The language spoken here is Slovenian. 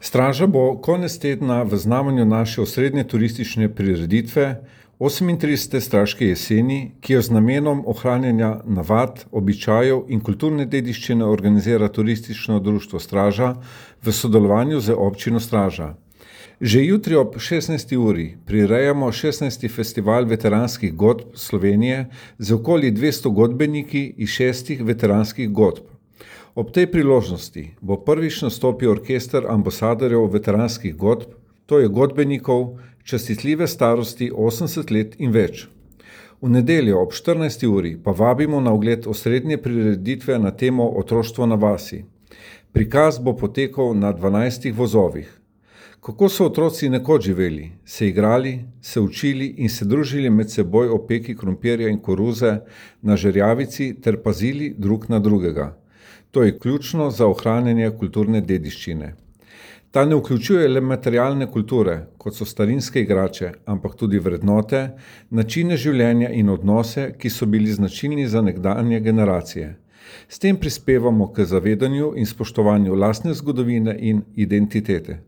Straža bo konec tedna v znamenju naše osrednje turistične prireditve 38. Straške jeseni, ki jo z namenom ohranjanja navad, običajev in kulturne dediščine organizira Turistično društvo Straža v sodelovanju z občino Straža. Že jutri ob 16. uri prirejamo 16. festival veteranskih godb Slovenije z okoli 200 godbeniki iz 6 veteranskih godb. Ob tej priložnosti bo prvič nastopil orkester ambasadorjev veteranskih godb, to je godbenikov, častitljive starosti 80 let in več. V nedeljo ob 14. uri pa vabimo na ogled osrednje prireditve na temo Otroštvo na vasi. Prikaz bo potekal na 12 vozovih. Kako so otroci nekoč živeli, se igrali, se učili in se družili med seboj o peki krompirja in koruze na žerjavici ter pazili drug na drugega. To je ključno za ohranjanje kulturne dediščine. Ta ne vključuje le materialne kulture, kot so starinske igrače, ampak tudi vrednote, načine življenja in odnose, ki so bili značilni za nekdanje generacije. S tem prispevamo k zavedanju in spoštovanju lastne zgodovine in identitete.